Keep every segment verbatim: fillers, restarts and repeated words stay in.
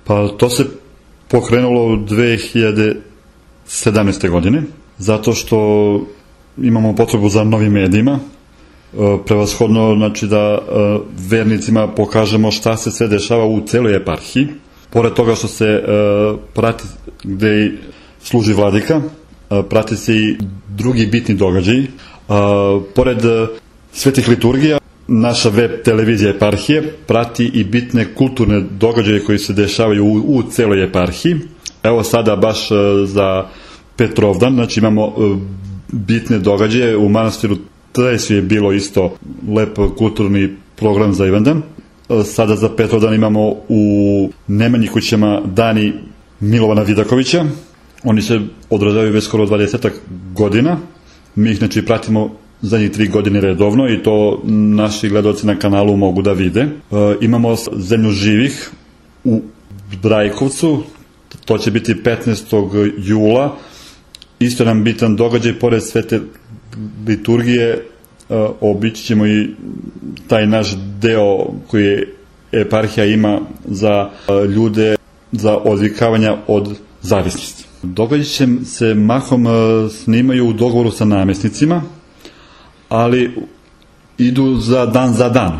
Pa to se pokrenulo dve hiljade sedamnaeste. godine, zato što imamo potrebu za novim medijima, prevashodno znači da vernicima pokažemo šta se sve dešava u celoj eparhiji, pored toga što se prati gde služi vladika, prati se i drugi bitni događaji, pored svetih liturgija, naša web televizija eparhije prati i bitne kulturne događaje koji se dešavaju u, u celoj eparhiji. Evo sada baš za Petrovdan, znači imamo bitne događaje u manastiru Tresu je bilo isto lep kulturni program za Ivandan. Sada za Petrovdan imamo u Nemanji kućama dani Milovana Vidakovića. Oni se održavaju već skoro dvadesetak godina. Mi ih znači pratimo zadnjih tri godine redovno i to naši gledalci na kanalu mogu da vide. E, imamo Zemlju živih u Brajkovcu, to će biti petnaestog jula. Isto nam bitan događaj, pored svete liturgije, e, obići ćemo i taj naš deo koji eparhija ima za e, ljude za odvikavanja od zavisnosti. Događaj se mahom e, snimaju u dogovoru sa namesnicima, ali idu za dan za dan.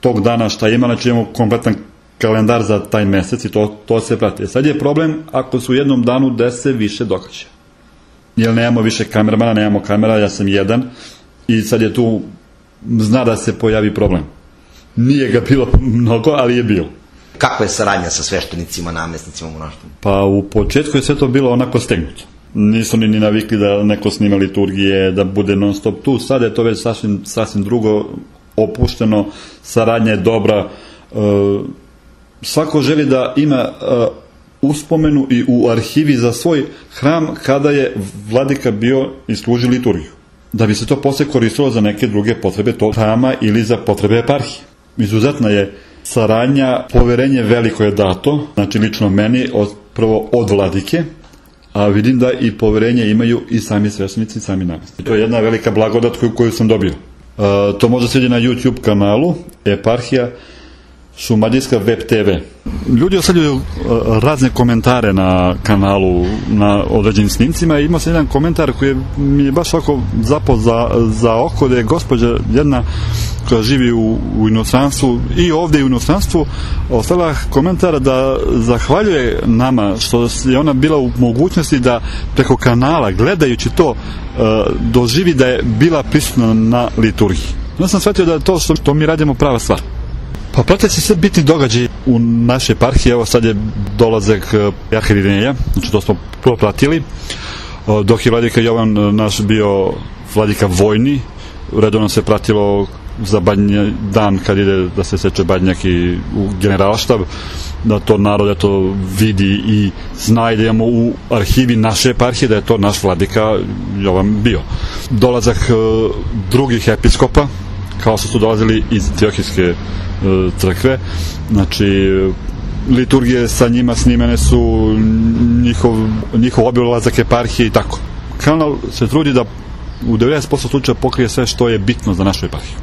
Tog dana šta ima, znači imamo kompletan kalendar za taj mesec i to, to se prati. Sad je problem ako su u jednom danu dese više događaja. Jer nemamo više kameramana, nemamo kamera, ja sam jedan i sad je tu, zna da se pojavi problem. Nije ga bilo mnogo, ali je bilo. Kakva je saradnja sa sveštenicima, namesnicima u monaštvu? Pa u početku je sve to bilo onako stegnuto. Nisu ni, ni navikli da neko snima liturgije, da bude non stop tu. Sada je to već sasvim, sasvim drugo, opušteno, saradnja je dobra. E, svako želi da ima e, uspomenu i u arhivi za svoj hram kada je vladika bio i služi liturgiju. Da bi se to posle koristilo za neke druge potrebe tog hrama ili za potrebe eparhije. Izuzetna je saradnja, poverenje veliko je dato, znači lično meni, od, prvo od vladike, a vidim da i poverenje imaju i sami sveštenici i sami namesnici. To je jedna velika blagodat koju, koju sam dobio. E, to može se vidjeti na YouTube kanalu Eparhija Šumadijska web te ve. Ljudi ostavljaju razne komentare na kanalu, na određenim snimcima i ima se jedan komentar koji mi je baš ovako zapao za, za oko, da je gospođa jedna koja živi u, u inostranstvu i ovde u inostranstvu ostavila komentar da zahvaljuje nama što je ona bila u mogućnosti da preko kanala, gledajući to, doživi da je bila prisutna na liturgiji. Ja sam shvatio da je to što, što mi radimo prava stvar. Pa prate se sve bitni događaji u našoj eparhiji. Evo sad je dolazak Jarha Irineja, znači to smo prvo pratili, dok je vladika Jovan naš bio vladika vojni, redovno se pratilo za badnje, dan kad ide da se seče badnjak i u generalštab, da to narod to vidi i zna i da imamo u arhivi naše eparhije da je to naš vladika Jovan bio. Dolazak drugih episkopa, kao što su dolazili iz Antiohijske crkve, znači liturgije sa njima snimene su, njihov, njihov obilazak eparhije i tako. Kanal se trudi da u devedeset posto slučaja pokrije sve što je bitno za našu eparhiju.